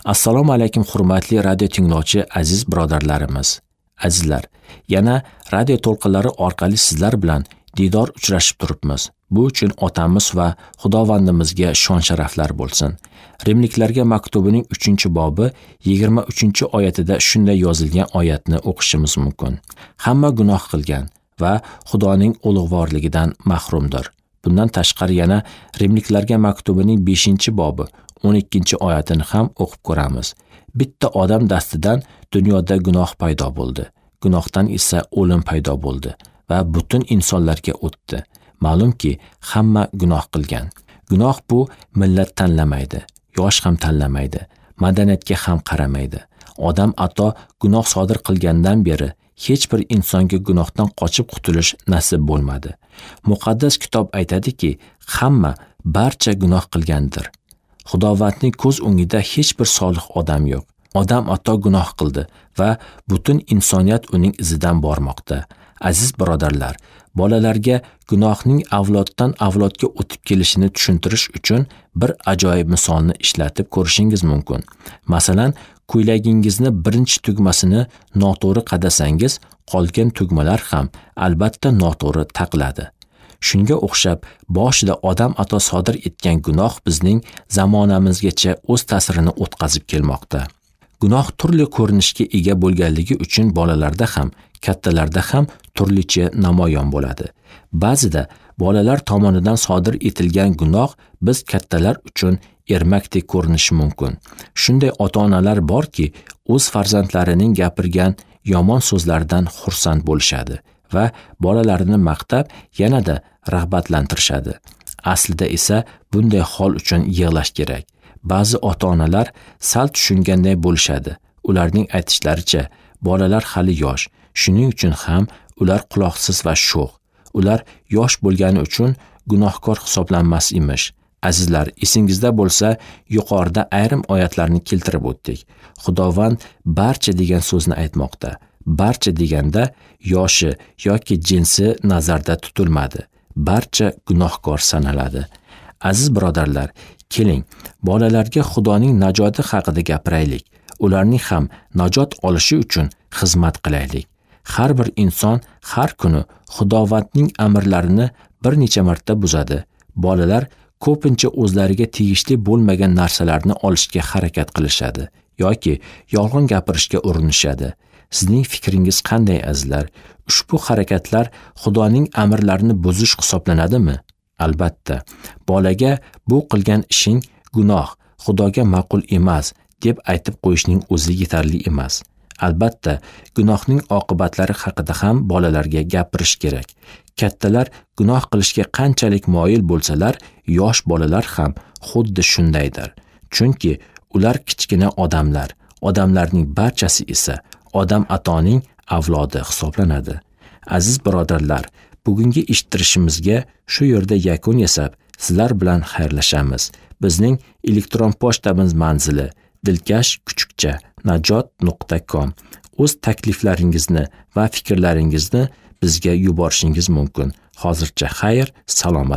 Assalomu alaykum, hurmatli radio tinglovchi aziz birodarlarimiz. Azizlar, yana radio to'lqinlari orqali sizlar bilan diydor uchrashib turibmiz. Bu uchun otamiz va Xudovandimizga shon-sharaflar bo'lsin. Rimliklarga maktubining 3-bobi 23-oyatida shunday yozilgan oyatni o'qishimiz mumkin. Hamma gunoh qilgan va Xudoning ulug'vorligidan mahrumdir. Bundan tashqari yana Rimliklarga maktubining 5-bobi 12-oyatini ham o'qib ko'ramiz. Bitta odam dastidan dunyoda gunoh paydo bo'ldi. Gunohdan esa o'lim paydo bo'ldi va butun insonlarga o'tdi. Ma'lumki, hamma gunoh qilgan. Gunoh bu millat tanlamaydi, yosh ham tanlamaydi, madaniyatga ham qaramaydi. Odam ato gunoh sodir qilgandan beri hech bir insonga gunohdan qochib qutulish nasib bo'lmadi. Muqaddas kitob aytadiki, hamma barcha gunoh qilgandir. Xudovandning ko'z o'ngida hech bir solih odam yo'q. Odam ato gunoh qildi va butun insoniyat uning izidan bormoqda. Aziz birodarlar, bolalarga gunohning avloddan avlodga o'tib kelishini tushuntirish uchun bir ajoyib misolni ishlatib ko'rishingiz mumkin. Masalan, ko'ylagingizni birinchi tugmasini noto'g'ri qadasangiz, qolgan tugmalar ham albatta noto'g'ri taqiladi. Shunga o'xshab, boshida odam ato sodir etgan gunoh bizning zamonamizgacha o'z ta'sirini o'tkazib kelmoqda. Gunoh turli ko'rinishga ega bo'lganligi uchun bolalarda ham, kattalarda ham turlicha namoyon bo'ladi. Ba'zida bolalar tomonidan sodir etilgan gunoh biz kattalar uchun ermakdek ko'rinishi mumkin. Shunday ota-onalar borki, o'z farzandlarining gapirgan yomon so'zlaridan xursand bo'lishadi va bolalarini maqtab yanada rag'batlantirishadi. Aslida esa bunday hol uchun yig'lash kerak. Ba'zi ota-onalar sal tushunganday bo'lishadi. Ularning aytishlaricha, bolalar hali yosh, shuning uchun ham ular quloqsiz va sho'x. Ular yosh bo'lgani uchun gunohkor hisoblanmas emish. Azizlar, esingizda bo'lsa, yuqorida ayrim oyatlarni keltirib o'tdik. Xudovand barcha degan so'zni aytmoqda. Barcha deganda yoshi yoki jinsi nazarda tutilmadi. Barcha gunohkor sanaladi. Aziz birodarlar, keling, bolalarga Xudoning najoti haqida gapiraylik. Ularning ham najot olishi uchun xizmat qilaylik. Har bir inson har kuni Xudovandning amrlarini bir necha marta buzadi. Bolalar ko'pincha o'zlariga tegishli bo'lmagan narsalarni olishga harakat qilishadi yoki yolg'on gapirishga urinishadi. Sizning fikringiz qanday, azizlar? Ushbu harakatlar Xudoning amrlarini buzish hisoblanadimi? Albatta. Bolaga bu qilgan ishing gunoh, Xudoga ma'qul emas deb aytib qo'yishning o'zi yetarli emas. Albatta, gunohning oqibatlari haqida ham bolalarga gapirish kerak. Kattalar gunoh qilishga qanchalik moyil bo'lsalar, yosh bolalar ham xuddi shundaydir. Chunki ular kichkina odamlar. Odamlarning barchasi esa odam atoning avlodi hisoblanadi. Aziz birodarlar, bugungi eshittirishimizga shu yerda yakun yasab, sizlar bilan xayrlashamiz. Bizning elektron pochtamiz manzili dilkash@najot.com. O'z takliflaringizni va fikrlaringizni bizga yuborishingiz mumkin. Hozircha xayr, salomat.